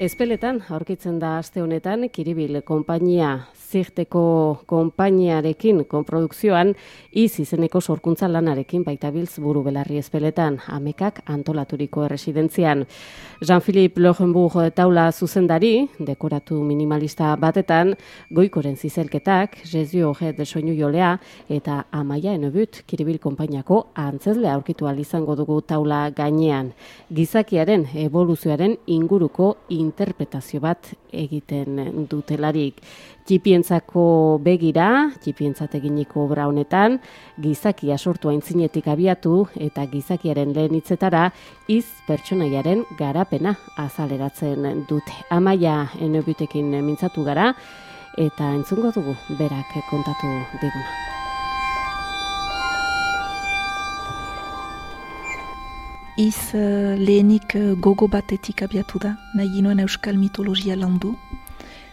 Ezpeletan aurkitzen da aste honetan Kiribil konpainia zirteko konpainiarekin konprodukzioan izeneko sorkuntza lanarekin baitabiltz buru belarri Ezpeletan amekak antolaturiko erresidentzian. Jean-Philippe Logenbourg taula zuzendari, dekoratu minimalista batetan, goikoren zizelketak, Jesu Ojet soinu jolea eta Amaia Enobut Kiribil konpainiako antzezle aurkitu ahal izango dugu taula gainean. Gizakiaren evoluzioaren inguruko interpretazio bat egiten dutelarik. Txipientzako begira, txipientzat eginiko obra honetan, gizakia sortu aintzinetik abiatu eta gizakiaren lehen hitzetara pertsonaiaren garapena azaleratzen dute. Amaia Enobutekin mintzatu gara eta entzungo dugu berak kontatu diguna. Lehenik gogo batetik abiatu da, nahi ginoen euskal mitologia landu.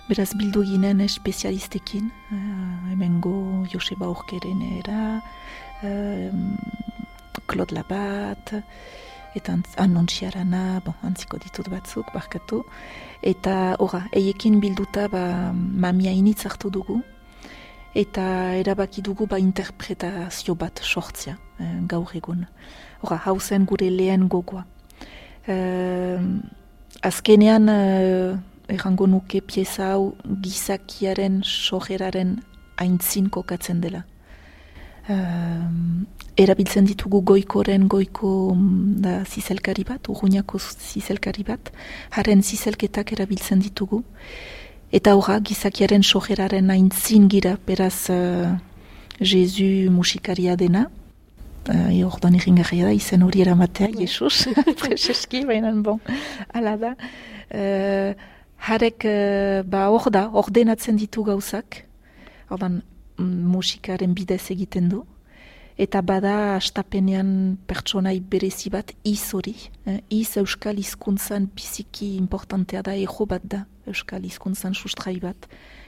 Beraz bildu ginen espezialistekin, hemengo Joseba Orkeren era, Claude Labat, eta Anontxiarana, antziko ditut batzuk, barkatu. Eta eiekin bilduta mamia initz hartu dugu, eta erabaki dugu interpretazio bat sortzia gaur egun. Hau zen gure lehen gogoa. Azkenean, errango nuke pieza hau gizakiaren sorreraren aintzin kokatzen dela. Erabiltzen ditugu goiko da zizelkari bat, urruñako zizelkari bat, haren zizelketak erabiltzen ditugu. Eta gizakiaren sorreraren aintzin gira, beraz Jesu musikaria dena. Ordan erringarria da, izen hori eramatea, Jesus, preseski, baina ala da. Harek ordenatzen ditu gauzak, ordan musikaren bidez egiten du, eta bada astapenean pertsonai berezi bat hori. Euskal hizkuntzan biziki importantea da, ejo bat da, euskal hizkuntzan sustrai bat.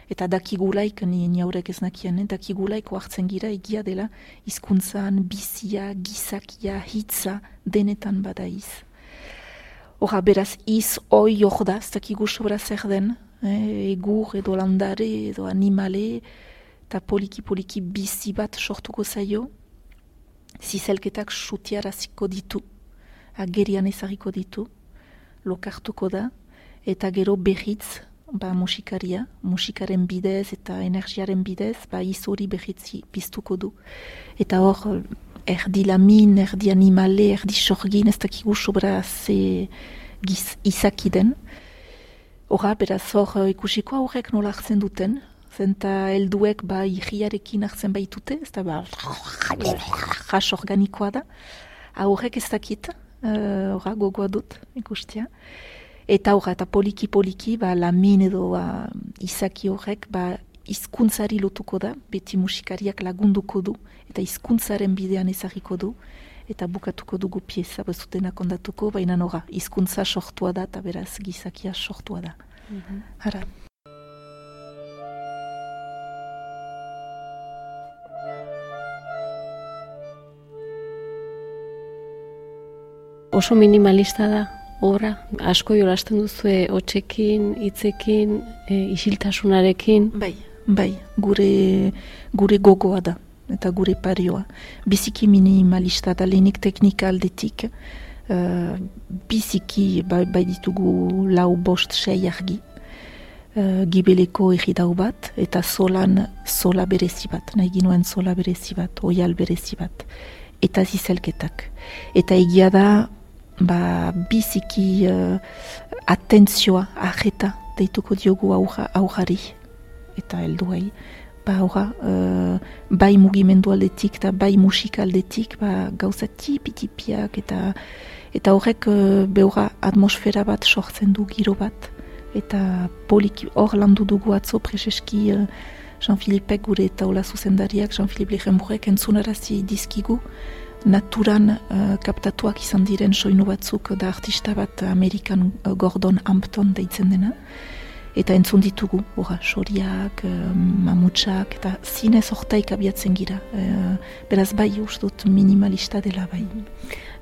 Eta dakigulaik, ni haurek ez nakien, dakigulaik oartzen gira egia dela hizkuntzan bizia, gizakia, hitza, denetan bada beraz, hoi da, ez dakigu sobra zer den, egur edo landare edo animale, eta poliki bizi bat sortuko zaio, zizelketak sutiaraziko ditu, agerian ezagiko ditu, lokartuko da, eta gero berriz, musikaren bidez eta energiaren bidez, hori berritzi piztuko du. Eta hor, erdi lamin, erdi animale, erdi sorgin, ez dakigu sobra ze izaki den. Beraz hor ikusiko aurrek nola hartzen duten, zenta helduek irriarekin hartzen baitute, ez da jas organikoa da. Aurrek ez dakit, gogoa dut ikustia. Eta poliki, lamin edo izaki horrek hizkuntzari lotuko da, beti musikariak lagunduko du, eta hizkuntzaren bidean ezagiko du, eta bukatuko dugu pieza, bazutenak ondatuko, baina hizkuntza sortua da, eta beraz gizakia sortua da. Hara. Oso minimalista da. Obra, asko jolasten duzue hotzekin, hitzekin, isiltasunarekin. Bai, gure gogoa da, eta gure parioa. Biziki minimalista da, lehenik teknika aldetik, biziki bai ditugu 4-5 argi, gibeleko egidau bat, eta sola berezi bat, nahi ginoen sola berezi bat, oial berezi bat, eta zizelketak. Eta egia da, biziki atentzioa, ajeta, deituko diogu aurrari, eta helduai. Bai mugimendu aldetik, eta bai musika aldetik, gauza tipi-tipiak, eta horrek atmosfera bat sortzen du giro bat, eta poliki hor landu dugu atzo preseski Jean-Philippek gure taula zuzendariak, Jean-Philippe Legenbourgek entzunarazi dizkigu, naturan kaptatuak izan diren soinu batzuk da artista bat Amerikan Gordon Hampton deitzen dena. Eta entzun ditugu, soriak, mamutsak, eta zinez hortaik abiatzen gira. Beraz ustut minimalista dela bai.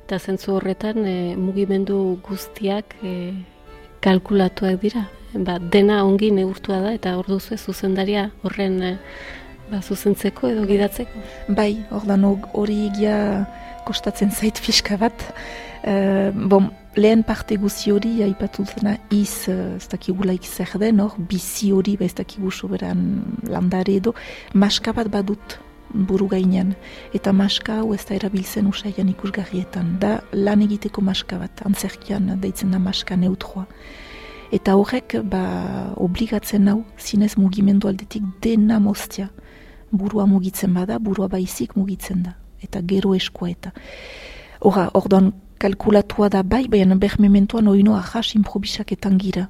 Eta zentzu horretan mugimendu guztiak kalkulatuak dira. Dena ongi neurtua da eta hor duzu zuzendaria horren zuzentzeko edo gidatzeko. Bai, ordan hori egia kostatzen zait fiska bat. Lehen parte guzi hori aipatu dena ez dakigulaik zer den, bizi hori ez dakigu soberan landare edo, maska bat badut buru gainean. Eta maska hau ez da erabiltzen usaian ikusgarrietan. Da lan egiteko maska bat, antzerkian deitzen da maska neutroa. Eta horrek obligatzen hau zinez mugimendu aldetik dena moztia. Burua mugitzen bada, burua baizik mugitzen da. Eta gero eskua eta. Ordan kalkulatua da baina bermementuan oino ahas improbisaketan gira.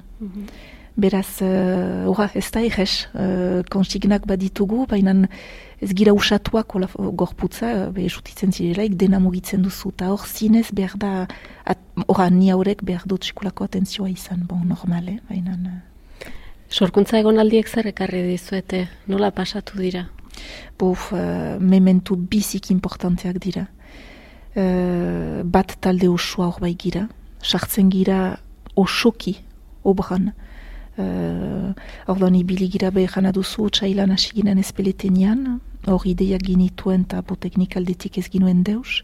Beraz, ez da egez, konsignak baditugu, baina ez gira usatuak gorputza, esutitzen zirelaik, dena mugitzen duzu, eta hor zinez behar da, ni haurek behar dut sekulako atentzioa izan, normale, baina... Sorkuntza egonaldiek zer ekarri dizuete, nola pasatu dira? Mementu bizik importanteak dira. Bat talde osoa hor bai gira, sartzen gira osoki obran. Ordan ibili gira behar duzu txailan hasi ginen ezpeletenean, hor ideiak ginituen eta teknikaldetik ez ginuen deus.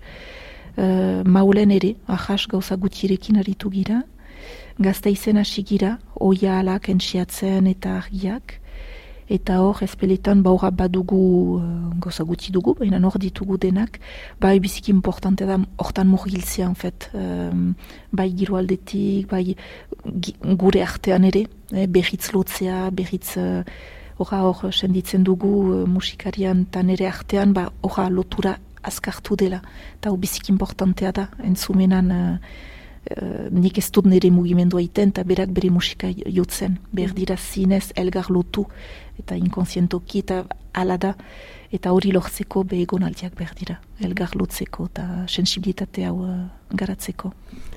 Maulen ere, ahas gauza gutirekin aritu gira, Gasteizen hasi gira, oia alak entxiatzen eta argiak, eta hor ezpeletan badugu gauza guti dugu, baina hor ditugu denak, bai bizik importante da hortan murgiltzea, bai giro aldetik, bai gure artean ere, berritz lotzea, berritz hor senditzen dugu musikarian eta nere artean, hor lotura azkartu dela, eta hor bizik importantea da, entzumenan nik ez dut nire mugimendua iten eta berak bere musika jotzen. Behar dira zinez elgar lotu eta inkonsientoki eta ala da eta hori lortzeko behegonaldiak behar dira. Elgar lotzeko eta sensibilitate hau garatzeko.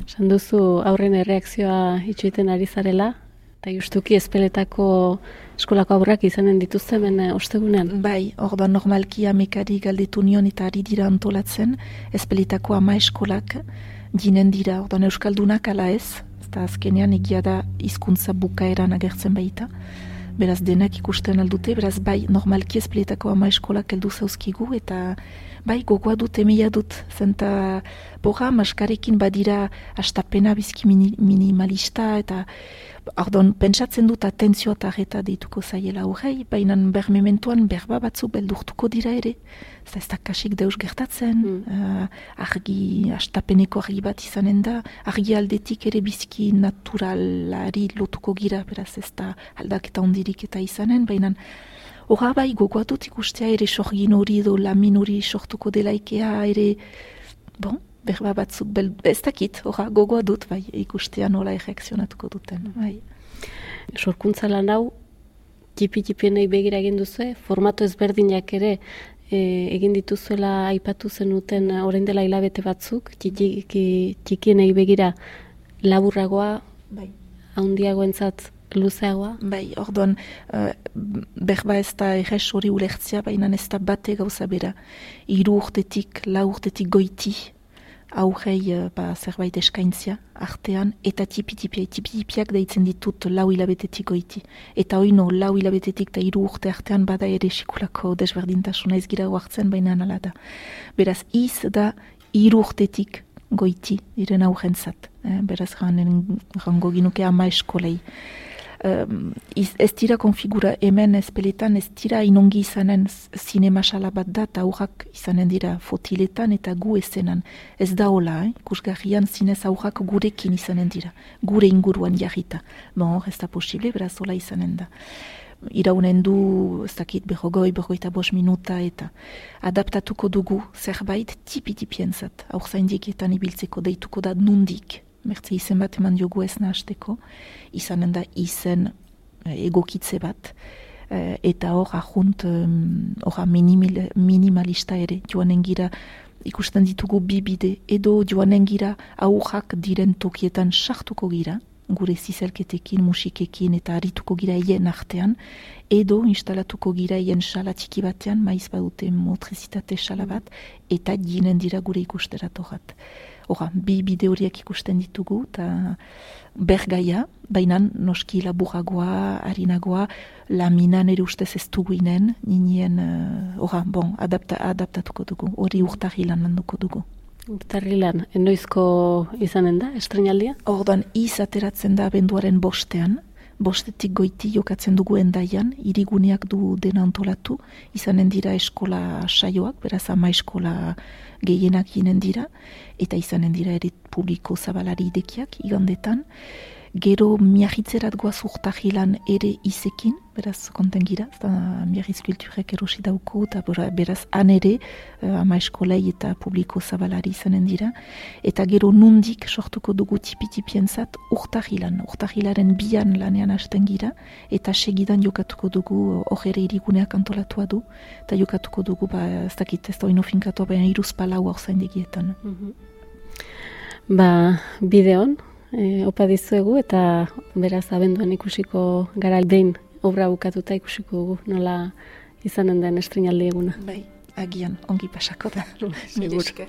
Esan duzu aurren erreakzioa itxuiten ari zarela eta justuki ezpeletako eskolako aurrak izanen dituzte hemen ostegunean? Bai, orduan normalki amekari galdetu nion eta ari dira antolatzen ezpeletako 10 eskolak ginen dira, ordan euskaldunak ala ez, eta azkenean egia da hizkuntza bukaeran agertzen baita. Beraz denak ikusten aldute, beraz bai normalki ezpeleetako 10 eskolak heldu zauzkigu, eta bai gogoa dut, emeia dut, zenta maskarekin badira astapena bizki minimalista, eta ordan pentsatzen dut atentzioa eta arreta deituko zaiela horrei, baina bermementuan berba batzu beldurtuko dira ere. Ez da kasik deus gertatzen, argi, astapeneko argi bat izanen da, argi aldetik ere bizki naturalari lotuko gira, beraz ez da aldaketa ondirik eta izanen, baina horra bai gogoa dut ikustea ere sorgin hori edo lamin hori sortuko delaikea ere, berba batzuk, ez dakit, horra gogoa dut bai ikustea nola erreakzionatuko duten. Bai. Sorkuntza lan hau, tipi-tipienei begira egin duzu, formato ezberdinak ere, egin dituzuela aipatu zenuten orain dela hilabete batzuk, txikienei begira laburragoa, handiagoentzat luzeagoa? Bai, orduan, berba ez da errez hori ulertzea, baina ez da bate gauza bera. 3 urtetik, 4 urtetik goiti, aurrei zerbait eskaintzia artean, eta tipi-tipiak deitzen ditut 4 hilabetetik goiti. Eta oino 4 hilabetetik eta 3 urte artean bada ere sekulako desberdintasuna ez gira hartzen, baina ala da. Beraz, iz da 3 urtetik goiti diren aurrentzat. Beraz, rango ginuke 10 eskolei. Ez dira konfigura hemen ezpeletan, ez dira inongi izanen zinema sala bat da, eta aurrak izanen dira fotiletan eta gu ezenan. Ez da hola, ikusgarrian zinez aurrak gurekin izanen dira, gure inguruan jarrita. Ez da posible, beraz hola izanen da. Iraunen du, ez dakit, 45 minuta eta adaptatuko dugu zerbait tipi-tipienzat, aur zaindikietan ibiltzeko deituko da nundik. Mertze izen bat eman diogu ez nahasteko, izanen da izen egokitze bat, eta hor ahunt minimalista ere, joanen gira ikusten ditugu 2 bide, edo joanen gira aurrak diren tokietan sartuko gira, gure zizelketekin, musikekin eta arituko gira hien artean, edo instalatuko gira hien sala txiki batean, maiz badute motrizitate sala bat, eta jinen dira gure ikusteratorat. Hora, bi bide horiek ikusten ditugu, eta bergaia, baina noski laburagoa, harinagoa, laminan ere ustez ez duguinen, ninien, adaptatuko dugu, hori urtarrilan landuko dugu. Urtarrilan, enoizko izanen da, estrenaldia? Ordan, ateratzen da abenduaren bostean, bostetik goiti jokatzen dugu endaian, hiriguneak du dena antolatu, izanen dira eskola saioak, beraz ama eskola gehienak ginen dira, eta izanen dira ere publiko zabalari idekiak, igandetan. Gero miarritzerat goaz urtarrilan ere izekin, beraz konten gira, miarritz kulturek erosi dauko, eta beraz han ere ama eskolei eta publiko zabalari izanen dira. Eta gero nundik sortuko dugu tipi-tipienzat urtarrilan, urtarrilaren bian lanean hasten gira, eta segidan jokatuko dugu hor ere iriguneak antolatua du, eta jokatuko dugu, ez dakit, ez da oino finkatu, baina iruz palau hor zaindegietan. Bideon, opa dizuegu eta beraz abenduan ikusiko gara behin obra bukatuta ikusiko dugu nola izanen den estrenaldi eguna. Bai, agian ongi pasako da. Mil esker.